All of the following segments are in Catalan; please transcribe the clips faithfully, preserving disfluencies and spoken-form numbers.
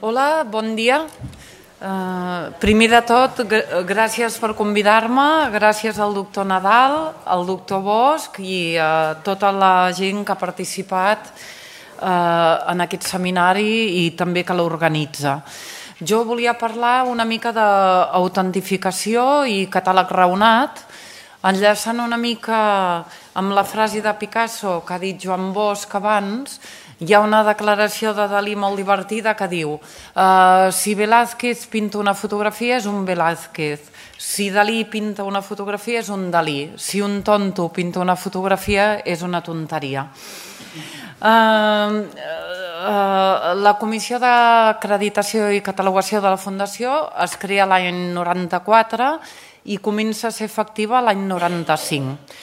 Hola, bon dia. Uh, primer de tot, gràcies per convidar-me, gràcies al doctor Nadal, al doctor Bosch i a tota la gent que ha participat uh, en aquest seminari i també que l'organitza. Jo volia parlar una mica d'autentificació i catàleg raonat, enllaçant una mica amb la frase de Picasso que ha dit Joan Bosch abans. Hi ha una declaració de Dalí molt divertida que diu uh, si Velázquez pinta una fotografia és un Velázquez, si Dalí pinta una fotografia és un Dalí, si un tonto pinta una fotografia és una tonteria. Uh, uh, la Comissió d'Acreditació i Catalogació de la Fundació es crea l'any noranta-quatre i comença a ser efectiva l'any noranta-cinc.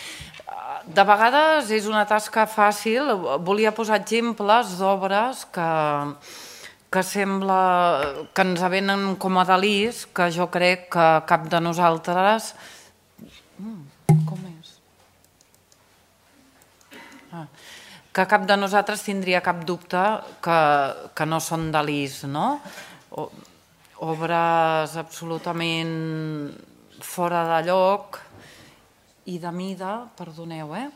De vegades és una tasca fàcil, volia posar exemples d'obres que, que sembla que ens venen com a Dalís, que jo crec que cap de nosaltres... Com és? Ah, que cap de nosaltres tindria cap dubte que, que no són Dalís, no? O, obres absolutament fora de lloc i de mida, perdoneu, eh?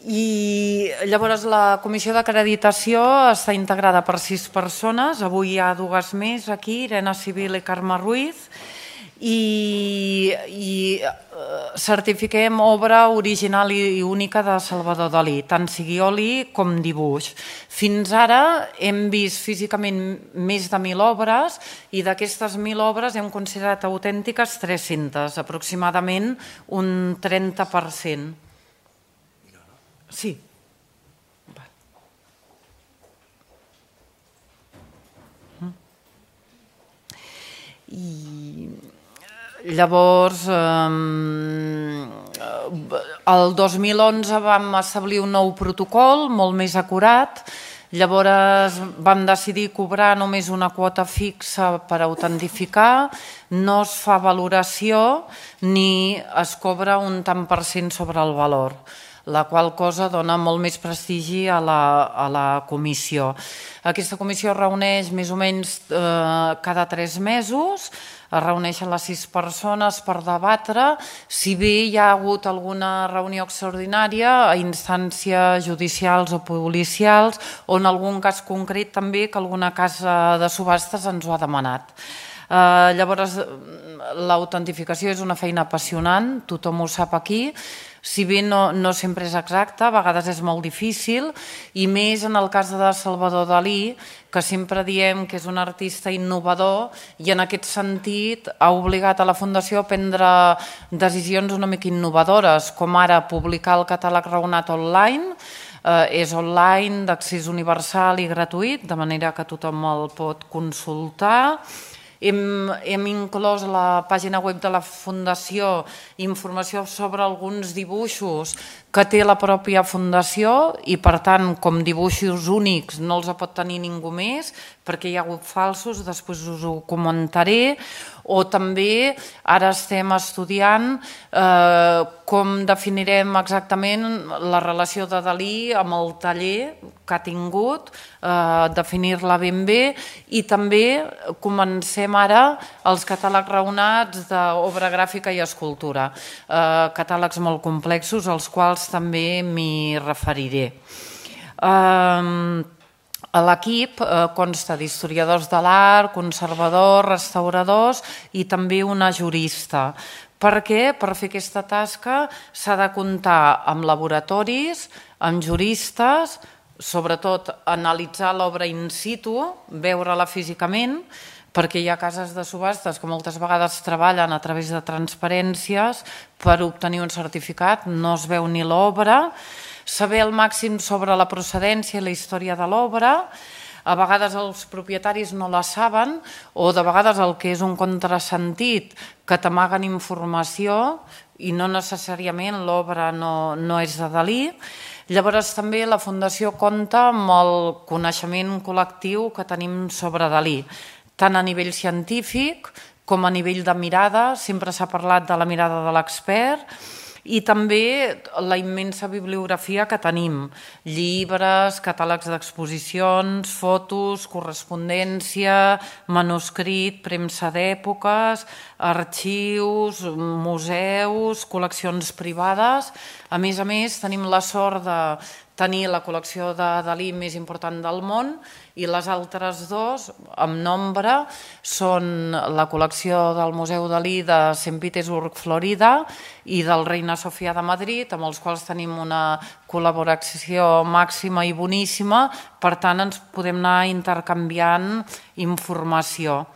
I llavors la Comissió d'Acreditació està integrada per sis persones, avui hi ha dues més aquí, Irene Civil i Carme Ruiz, i, i certifiquem obra original i única de Salvador Dalí, tant sigui oli com dibuix. Fins ara hem vist físicament més de mil obres i d'aquestes mil obres hem considerat autèntiques tres-centes, aproximadament un trenta per cent. Sí. I llavors, el dos mil onze vam establir un nou protocol molt més acurat. Llavors vam decidir cobrar només una quota fixa per autentificar, no es fa valoració ni es cobra un tant per cent sobre el valor, la qual cosa dona molt més prestigi a la, a la comissió. Aquesta comissió es reuneix més o menys eh, cada tres mesos, es reuneixen les sis persones per debatre, si bé hi ha hagut alguna reunió extraordinària a instàncies judicials o policials o en algun cas concret també que alguna casa de subhastes ens ho ha demanat. Eh, llavors, l'autentificació és una feina apassionant, tothom ho sap aquí, si bé no, no sempre és exacte, a vegades és molt difícil, i més en el cas de Salvador Dalí, que sempre diem que és un artista innovador i en aquest sentit ha obligat a la Fundació a prendre decisions una mica innovadores, com ara publicar el catàleg raonat online, eh, és online, d'accés universal i gratuït, de manera que tothom el pot consultar. Hem, hem inclòs a la pàgina web de la Fundació informació sobre alguns dibuixos que té la pròpia Fundació i, per tant, com dibuixos únics no els pot tenir ningú més perquè hi ha hagut falsos, després us ho comentaré. O també ara estem estudiant eh, com definirem exactament la relació de Dalí amb el taller que ha tingut, eh, definir-la ben bé, i també comencem ara els catàlegs raonats d'obra gràfica i escultura, eh, catàlegs molt complexos als quals també m'hi referiré. Eh, L'equip consta d'historiadors de l'art, conservadors, restauradors i també una jurista. Per què? Per fer aquesta tasca s'ha de comptar amb laboratoris, amb juristes, sobretot analitzar l'obra in situ, veure-la físicament, perquè hi ha cases de subhastes que moltes vegades treballen a través de transparències per obtenir un certificat, no es veu ni l'obra, saber el màxim sobre la procedència i la història de l'obra. A vegades els propietaris no la saben o de vegades el que és un contrasentit que t'amaguen informació i no necessàriament l'obra no, no és de Dalí. Llavors també la Fundació compta amb el coneixement col·lectiu que tenim sobre Dalí, tant a nivell científic com a nivell de mirada. Sempre s'ha parlat de la mirada de l'expert I també la immensa bibliografia que tenim, llibres, catàlegs d'exposicions, fotos, correspondència, manuscrit, premsa d'èpoques, arxius, museus, col·leccions privades. A més a més, tenim la sort de tenir la col·lecció de Dalí més important del món i les altres dos, en nombre, són la col·lecció del Museu Dalí de Sant Petersburg, Florida, i del Reina Sofia de Madrid, amb els quals tenim una col·laboració màxima i boníssima, per tant ens podem anar intercanviant informació.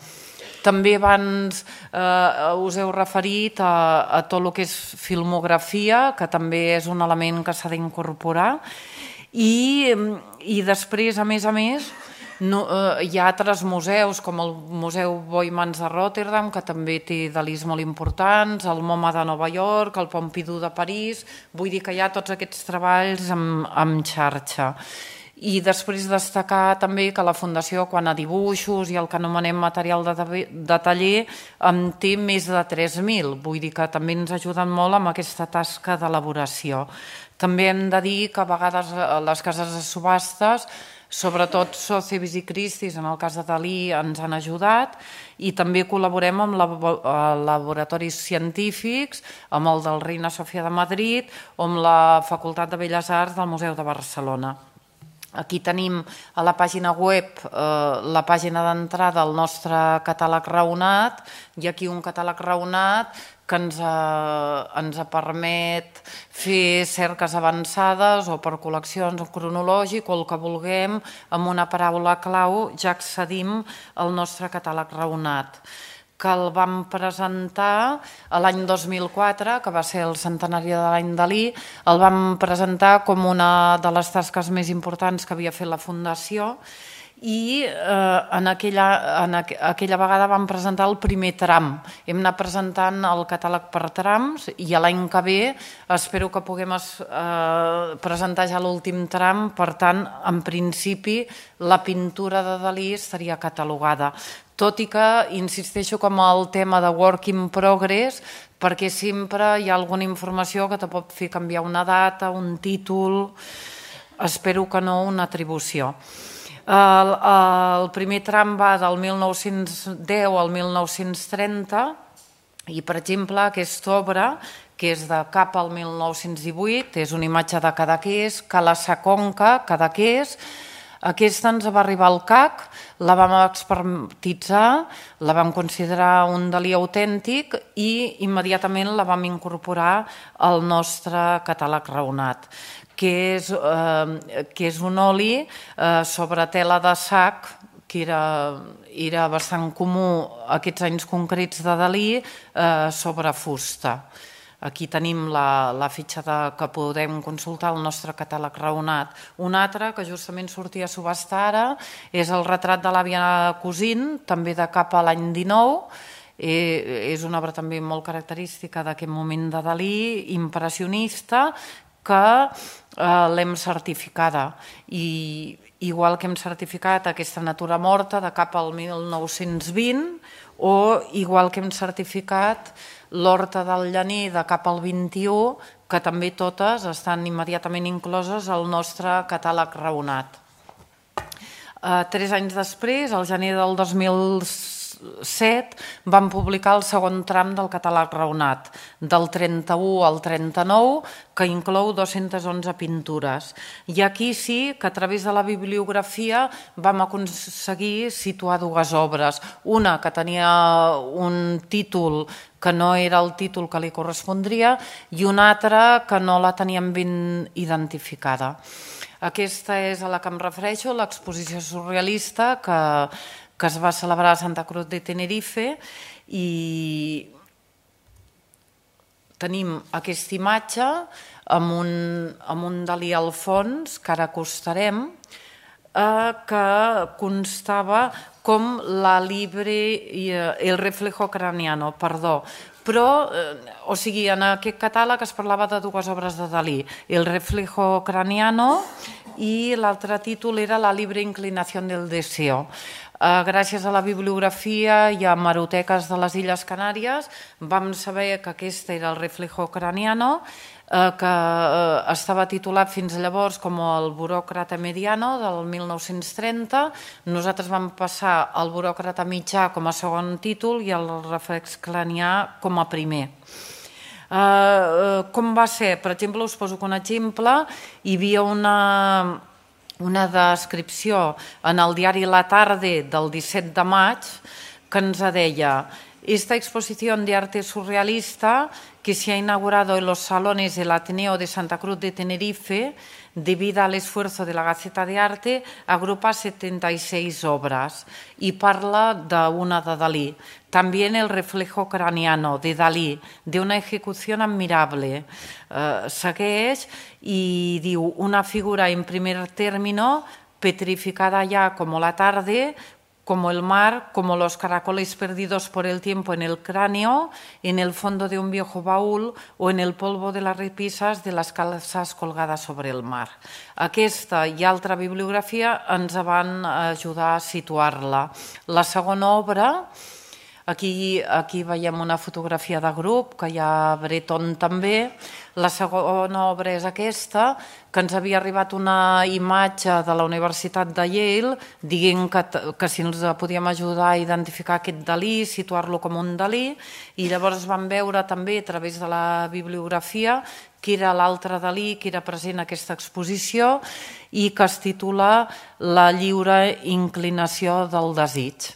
També abans us heu referit a tot el que és filmografia, que també és un element que s'ha d'incorporar, i després, a més a més, hi ha altres museus, com el Museu Boijmans de Rotterdam, que també té Dalís molt importants, el MoMA de Nova York, el Pompidou de París, vull dir que hi ha tots aquests treballs en xarxa. I després destacar també que la Fundació, quan a dibuixos i el que anomenem material de taller, en té més de tres mil, vull dir que també ens ajuden molt amb aquesta tasca d'elaboració. També hem de dir que a vegades les cases de subhastes, sobretot Sotheby's i Christie's, en el cas de Dalí, ens han ajudat, i també col·laborem amb laboratoris científics, amb el del Reina Sofia de Madrid o amb la Facultat de Belles Arts del Museu de Barcelona. Aquí tenim a la pàgina web la pàgina d'entrada al nostre catàleg raonat, i aquí un catàleg raonat que ens permet fer cerques avançades o per col·leccions o cronològic o el que vulguem, amb una paraula clau ja accedim al nostre catàleg raonat, que el vam presentar l'any dos mil quatre, que va ser el centenari de l'any Dalí, el vam presentar com una de les tasques més importants que havia fet la Fundació, i en aquella vegada vam presentar el primer tram. Hem anat presentant el catàleg per trams i l'any que ve espero que puguem presentar ja l'últim tram. Per tant, en principi, la pintura de Dalí estaria catalogada. Tot i que insisteixo com el tema de work in progress, perquè sempre hi ha alguna informació que te pot fer canviar una data, un títol, espero que no una atribució. El primer tram va del mil nou-cents deu al mil nou-cents trenta i, per exemple, aquesta obra, que és de cap al mil nou-cents divuit, és una imatge de Cadaqués, Cala Sa Conca, Cadaqués. Aquesta ens va arribar al C A C, la vam expertitzar, la vam considerar un Dalí autèntic i immediatament la vam incorporar al nostre catàleg raonat, que és un oli sobre tela de sac, que era bastant comú aquests anys concrets de Dalí, sobre fusta. Aquí tenim la fitxa que podem consultar al nostre catàleg raonat. Un altre, que justament sortia a subhastar ara, és el retrat de l'àvia Cousin, també de cap a l'any dinou. És una obra també molt característica d'aquest moment de Dalí, impressionista, que l'hem certificada. I igual que hem certificat aquesta natura morta de cap al mil nou-cents vint, o igual que hem certificat l'Horta del Llaner de cap al vint-i-u, que també totes estan immediatament incloses al nostre catàleg raonat. Tres anys després, al gener del dos mil set, vam publicar el segon tram del catàleg raonat, del trenta-u al trenta-nou, que inclou dos-centes onze pintures. I aquí sí que a través de la bibliografia vam aconseguir situar dues obres. Una que tenia un títol que no era el títol que li correspondria i una altra que no la teníem ben identificada. Aquesta és a la que em refereixo, l'exposició surrealista que que es va celebrar a Santa Cruz de Tenerife, i tenim aquesta imatge amb un Dalí al fons, que ara acostarem, que constava com la libre, el reflejo craniano, perdó, Però, o sigui, en aquest catàleg es parlava de dues obres de Dalí, El reflejo craniano i l'altre títol era La libre inclinación del deseo. Gràcies a la bibliografia i a hemeroteques de les Illes Canàries vam saber que aquest era El reflejo craniano, que estava titulat fins llavors com el buròcrata mediano del mil nou-cents trenta. Nosaltres vam passar el buròcrata mitjà com a segon títol i el reflex cranià com a primer. Com va ser? Per exemple, us poso un exemple. Hi havia una, una descripció en el diari La Tarde del disset de maig que ens deia: esta exposición de arte surrealista que se ha inaugurado en los salones del Ateneo de Santa Cruz de Tenerife, debido al esfuerzo de la Gaceta de Arte, agrupa setenta y seis obras y parla d'una de Dalí. También El reflejo craniano de Dalí, de una ejecución admirable. Eh, segueix i diu: una figura en primer término, petrificada ya como la tarde, como el mar, como los caracoles perdidos por el tiempo en el cráneo, en el fondo de un viejo baúl o en el polvo de las repisas de las calzas colgadas sobre el mar. Aquesta i altra bibliografia ens van ajudar a situar-la. La segona obra, aquí, aquí veiem una fotografia de grup, que hi ha Breton també. La segona obra és aquesta, que ens havia arribat una imatge de la Universitat de Yale dient que, que si ens podíem ajudar a identificar aquest Dalí, situar-lo com un Dalí, i llavors vam veure també a través de la bibliografia que era l'altre Dalí que era present en aquesta exposició i que es titula La lliure inclinació del desig.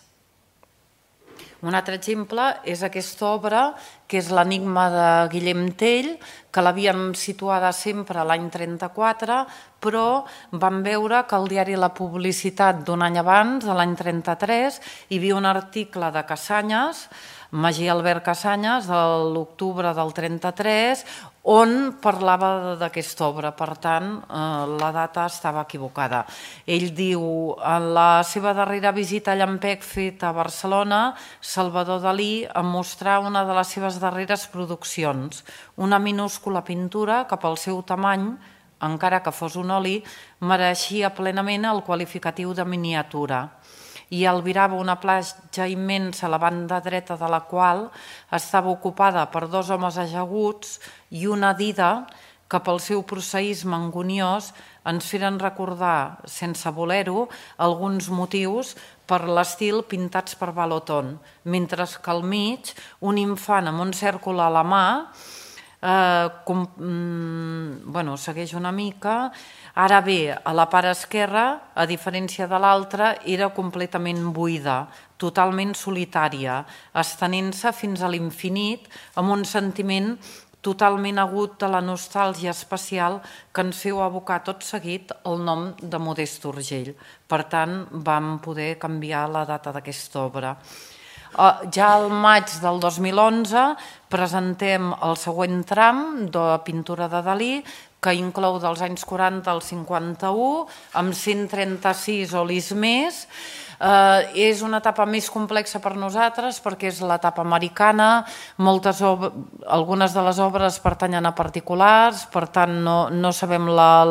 Un altre exemple és aquesta obra, que és l'Enigma de Guillem Tell, que l'havíem situada sempre l'any trenta-quatre, però vam veure que al diari La Publicitat d'un any abans, de l'any trenta-tres, hi havia un article de Casanyes, Magí Albert Casanyes, de l'octubre del trenta-tres, on parlava d'aquesta obra. Per tant, la data estava equivocada. Ell diu: en la seva darrera visita a Llampec feta a Barcelona, Salvador Dalí em mostrà una de les seves darreres produccions, una minúscula pintura que pel seu tamany, encara que fos un oli, mereixia plenament el qualificatiu de miniatura. I albirava una platja immensa a la banda dreta de la qual estava ocupada per dos homes ajaguts i una dida que pel seu prosaïsme anguniós ens feren recordar, sense voler-ho, alguns motius per l'estil pintats per Baloton, mentre que al mig un infant amb un cèrcol a la mà segueix una mica. Ara bé, a la part esquerra, a diferència de l'altra, era completament buida, totalment solitària, estenent-se fins a l'infinit amb un sentiment totalment agut de la nostàlgia espacial que ens feu abocar tot seguit el nom de Modest Urgell. Per tant, vam poder canviar la data d'aquesta obra. Ja al maig del dos mil onze presentem el següent tram de pintura de Dalí, que inclou dels anys quaranta al cinquanta-u, amb cent trenta-sis olis més. És una etapa més complexa per nosaltres perquè és l'etapa americana, algunes de les obres pertanyen a particulars, per tant no sabem la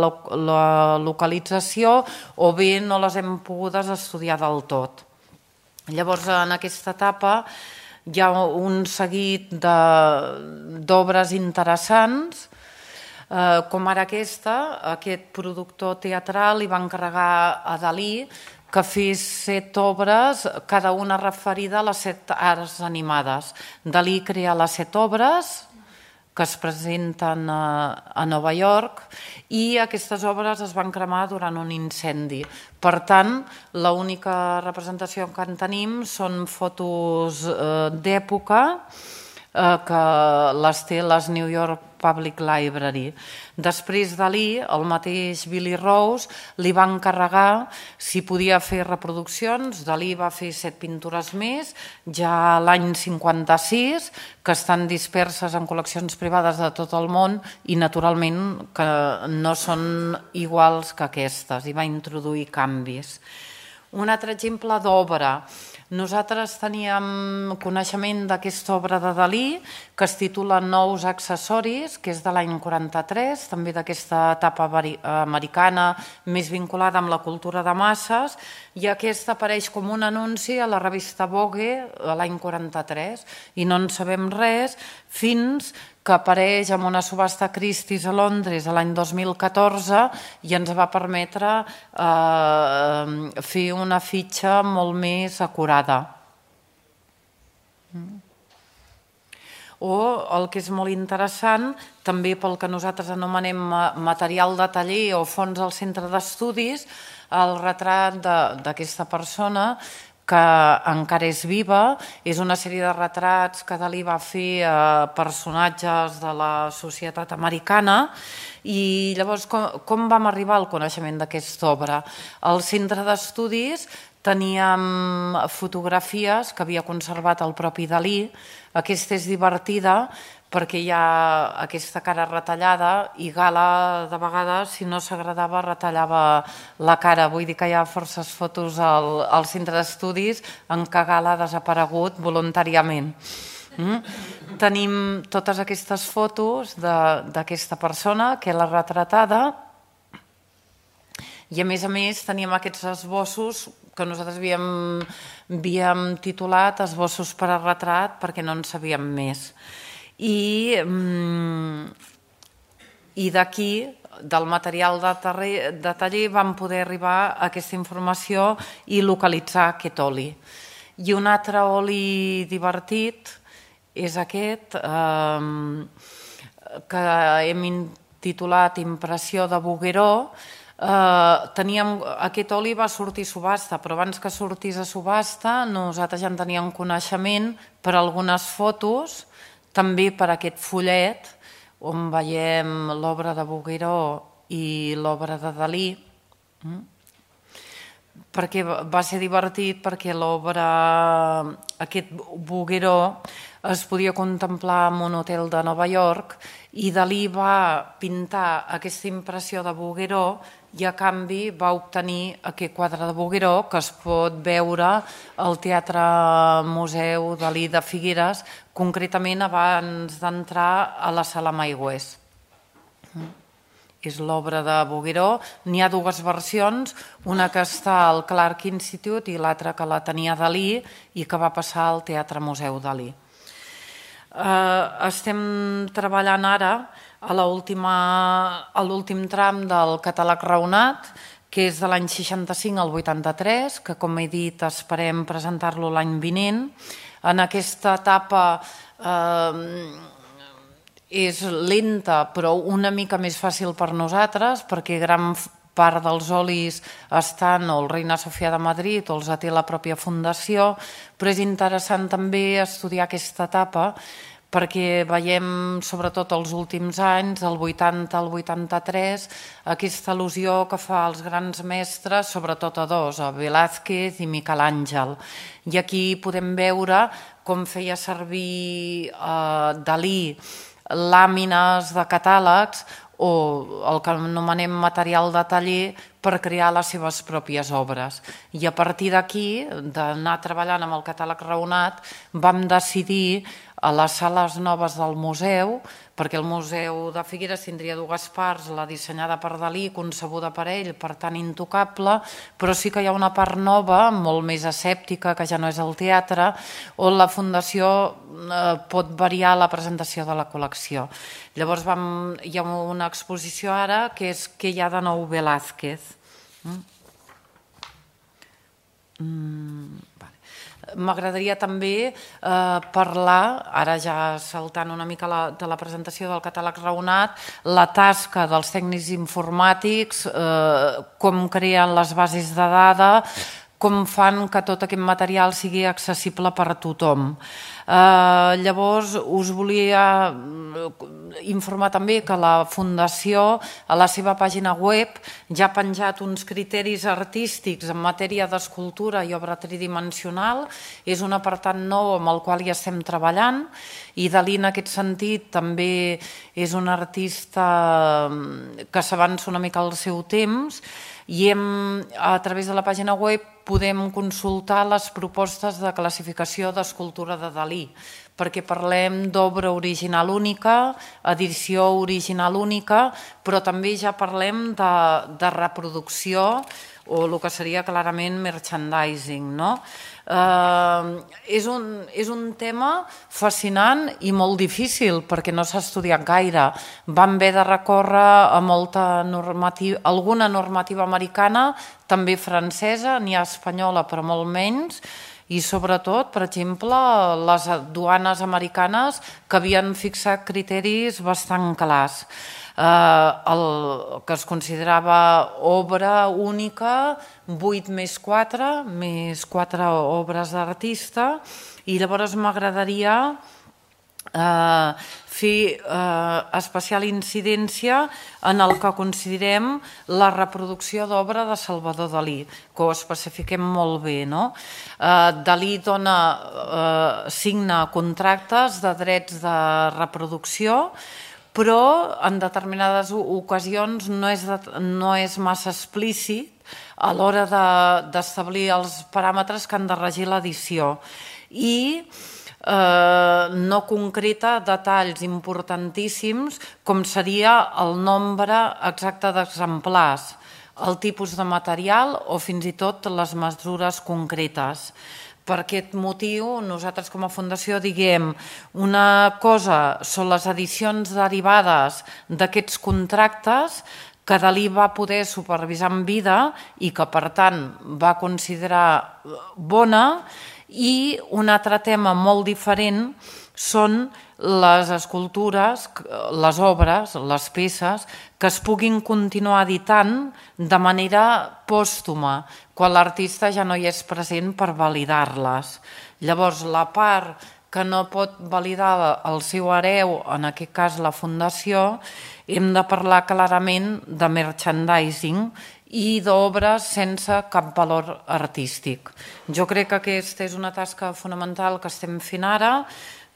localització o bé no les hem pogudes estudiar del tot. Llavors, en aquesta etapa hi ha un seguit d'obres interessants, com ara aquesta. Aquest productor teatral li va encarregar a Dalí que fes set obres, cada una referida a les set arts animades. Dalí crea les set obres que es presenten a Nova York i aquestes obres es van cremar durant un incendi. Per tant, l'única representació que en tenim són fotos d'època que les té les New York Public Library. Després Dalí, el mateix Billy Rose, li va encarregar si podia fer reproduccions. Dalí va fer set pintures més, ja l'any cinquanta-sis, que estan disperses en col·leccions privades de tot el món i, naturalment, que no són iguals que aquestes. Hi va introduir canvis. Un altre exemple d'obra. Nosaltres teníem coneixement d'aquesta obra de Dalí que es titula Nous accessoris, que és de l'any quaranta-tres, també d'aquesta etapa americana més vinculada amb la cultura de masses, i aquesta apareix com un anunci a la revista Vogue l'any quaranta-tres i no en sabem res fins que apareix en una subhasta Christie's a Londres l'any dos mil catorze i ens va permetre eh, fer una fitxa molt més acurada. O el que és molt interessant, també pel que nosaltres anomenem material de taller o fons al centre d'estudis, el retrat d'aquesta persona que encara és viva, és una sèrie de retrats que Dalí va fer a personatges de la societat americana i llavors com, com vam arribar al coneixement d'aquesta obra? Al centre d'estudis teníem fotografies que havia conservat el propi Dalí. Aquesta és divertida perquè hi ha aquesta cara retallada i Gala de vegades, si no s'agradava, retallava la cara. Vull dir que hi ha forces fotos al, al centre d'estudis en què Gala ha desaparegut voluntàriament. Mm? Tenim totes aquestes fotos d'aquesta persona, que és la retratada, i a més a més teníem aquests esbossos que nosaltres havíem, havíem titulat esbossos per a retrat perquè no en sabíem més. I, i d'aquí, del material de, taller, de taller, vam poder arribar a aquesta informació i localitzar aquest oli. I un altre oli divertit és aquest, eh, que hem intitulat Impressió de Bouguereau. Eh, teníem, aquest oli va sortir a subhasta, però abans que sortís a subhasta nosaltres ja en teníem coneixement per algunes fotos, també per aquest fullet on veiem l'obra de Bouguereau i l'obra de Dalí, perquè va ser divertit perquè l'obra, aquest Bouguereau, es podia contemplar en un hotel de Nova York i Dalí va pintar aquesta impressió de Bouguereau i a canvi va obtenir aquest quadre de Bouguereau que es pot veure al Teatre Museu Dalí de Figueres, concretament abans d'entrar a la sala Maigües. És l'obra de Bouguereau. N'hi ha dues versions, una que està al Clark Institute i l'altra que la tenia Dalí i que va passar al Teatre Museu Dalí. Estem treballant ara a l'últim tram del catàleg raonat, que és de l'any seixanta-cinc al vuitanta-tres, que com he dit esperem presentar-lo l'any vinent. En aquesta etapa és lenta però una mica més fàcil per nosaltres perquè gran part dels olis estan o el Reina Sofia de Madrid o els té la pròpia fundació, però és interessant també estudiar aquesta etapa perquè veiem sobretot els últims anys, del vuitanta al vuitanta-tres, aquesta al·lusió que fa als grans mestres, sobretot a dos, a Velázquez i Miquel Àngel. I aquí podem veure com feia servir Dalí làmines de catàlegs o el que anomenem material de taller per crear les seves pròpies obres. I a partir d'aquí, d'anar treballant amb el catàleg raonat, vam decidir a les sales noves del museu, perquè el Museu de Figueres tindria dues parts, la dissenyada per Dalí, concebuda per ell, per tant intocable, però sí que hi ha una part nova, molt més escèptica, que ja no és el teatre, on la Fundació pot variar la presentació de la col·lecció. Llavors hi ha una exposició ara que és Què hi ha de nou Velázquez. M'agradaria també parlar, ara ja saltant una mica de la presentació del catàleg raonat, la tasca dels tècnics informàtics, com creen les bases de dades, com fan que tot aquest material sigui accessible per a tothom. Llavors, us volia informar també que la Fundació, a la seva pàgina web, ja ha penjat uns criteris artístics en matèria d'escultura i obra tridimensional. És un apartat nou amb el qual hi estem treballant i Dalí, en aquest sentit, també és un artista que s'avança una mica al seu temps i a través de la pàgina web podem consultar les propostes de classificació d'escultura de Dalí, perquè parlem d'obra original única, edició original única, però també ja parlem de reproducció o el que seria clarament merchandising. És un tema fascinant i molt difícil perquè no s'ha estudiat gaire. Vam haver de recórrer a molta normativa, alguna normativa americana, també francesa, n'hi ha espanyola però molt menys, i sobretot, per exemple, les duanes americanes que havien fixat criteris bastant clars. El que es considerava obra única, vuit més quatre, més quatre obres d'artista, i llavors m'agradaria fer especial incidència en el que considerem la reproducció d'obra de Salvador Dalí, que ho especifiquem molt bé. Dalí signa contractes de drets de reproducció, però en determinades ocasions no és massa explícit a l'hora d'establir els paràmetres que han de regir l'edició i no concreta detalls importantíssims com seria el nombre exacte d'exemplars, el tipus de material o fins i tot les mesures concretes. Per aquest motiu, nosaltres com a fundació diguem una cosa són les edicions derivades d'aquests contractes que Dalí va poder supervisar en vida i que, per tant, va considerar bona, i un altre tema molt diferent són les escultures, les obres, les peces, que es puguin continuar editant de manera pòstuma, quan l'artista ja no hi és present per validar-les. Llavors, la part que no pot validar el seu hereu, en aquest cas la fundació, hem de parlar clarament de merchandising i d'obres sense cap valor artístic. Jo crec que aquesta és una tasca fonamental que estem fent ara,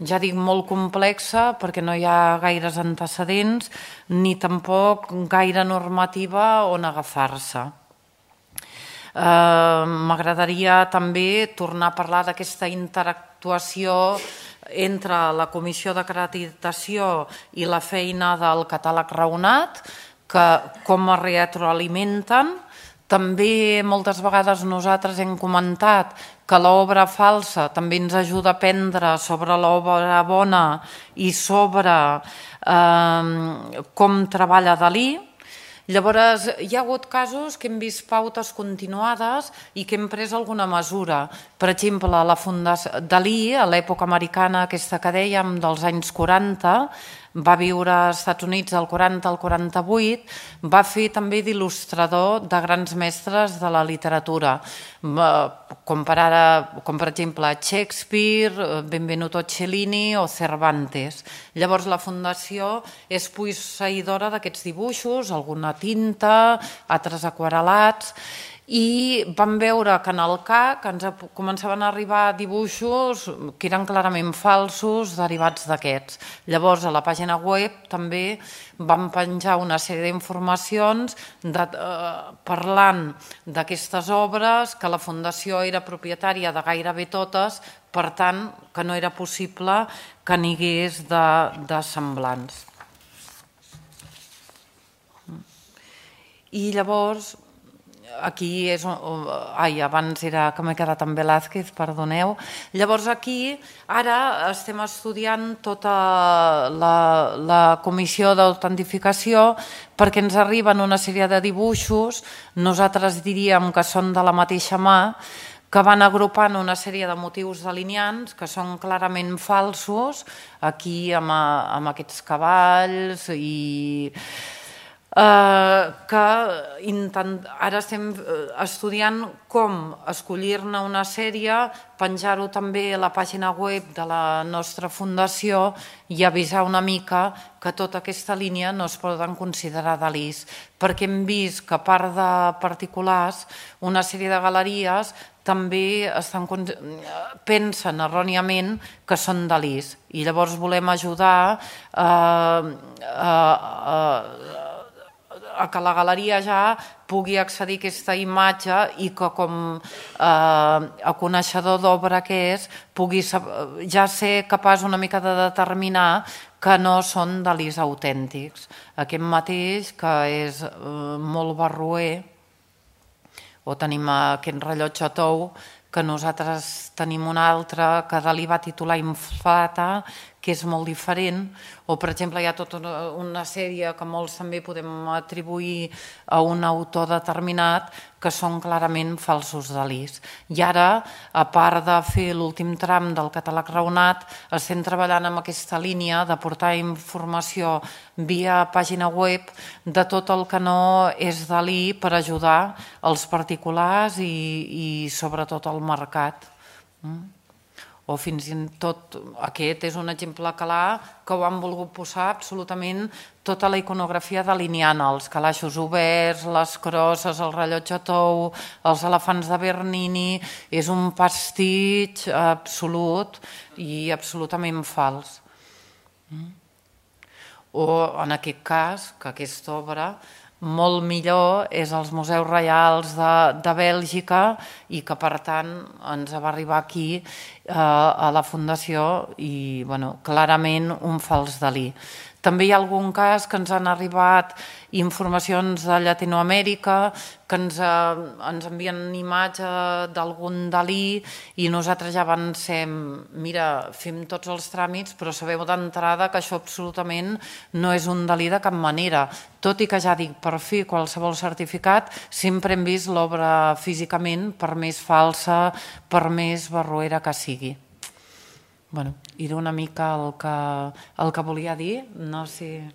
ja dic molt complexa perquè no hi ha gaires antecedents ni tampoc gaire normativa on agafar-se. M'agradaria també tornar a parlar d'aquesta interactuació entre la comissió d'acreditació i la feina del catàleg raonat, que com es retroalimenten. També moltes vegades nosaltres hem comentat que l'obra falsa també ens ajuda a aprendre sobre l'obra bona i sobre com treballa Dalí. Llavors, hi ha hagut casos que hem vist pautes continuades i que hem pres alguna mesura. Per exemple, la Fundació Dalí, a l'època americana, aquesta que dèiem, dels anys quaranta, va viure als Estats Units del quaranta al quaranta-vuit, va fer també d'il·lustrador de grans mestres de la literatura, com per exemple Shakespeare, Benvenuto Cellini o Cervantes. Llavors la Fundació és posseïdora d'aquests dibuixos, alguna tinta, altres aquarel·lats, i vam veure que en el C A C ens començaven a arribar dibuixos que eren clarament falsos derivats d'aquests. Llavors a la pàgina web també vam penjar una sèrie d'informacions parlant d'aquestes obres, que la Fundació era propietària de gairebé totes, per tant que no era possible que n'hi hagués de semblants. I llavors aquí és... Ai, abans era que m'he quedat amb Velázquez, perdoneu. Llavors aquí ara estem estudiant tota la comissió d'autentificació perquè ens arriben una sèrie de dibuixos, nosaltres diríem que són de la mateixa mà, que van agrupant una sèrie de motius delineants que són clarament falsos, aquí amb aquests cavalls i... que ara estem estudiant com escollir-ne una sèrie, penjar-ho també a la pàgina web de la nostra fundació i avisar una mica que tota aquesta línia no es poden considerar Dalís, perquè hem vist que a part de particulars, una sèrie de galeries també pensen erròniament que són Dalís i llavors volem ajudar a a que la galeria ja pugui accedir a aquesta imatge i que com a coneixedor d'obra que és pugui ja ser capaç una mica de determinar que no són Dalís autèntics. Aquest mateix, que és molt barroer, o tenim aquest rellotge tou, que nosaltres tenim un altre que Dalí va titular Inflata, que és molt diferent, o per exemple hi ha tota una sèrie que molts també podem atribuir a un autor determinat que són clarament falsos Dalís. I ara, a part de fer l'últim tram del catàleg raonat, estem treballant amb aquesta línia de portar informació via pàgina web de tot el que no és Dalí per ajudar els particulars i, i sobretot el mercat. O fins i tot, aquest és un exemple clar que ho han volgut posar absolutament tota la iconografia delineant, els calaixos oberts, les crosses, el rellotge tou, els elefants de Bernini, és un pastitx absolut i absolutament fals. O en aquest cas, que aquesta obra molt millor és als Museus Reials de, de Bèlgica i que per tant ens va arribar aquí eh, a la Fundació i bueno, clarament un fals Dalí. També hi ha algun cas que ens han arribat informacions de Llatinoamèrica, que ens, eh, ens envien imatge d'algun Dalí i nosaltres ja avancem, mira, fem tots els tràmits, però sabeu d'entrada que això absolutament no és un Dalí de cap manera. Tot i que ja dic, per fer qualsevol certificat, sempre hem vist l'obra físicament, per més falsa, per més barroera que sigui. Bueno, era una mica el que, el que volia dir, no sé...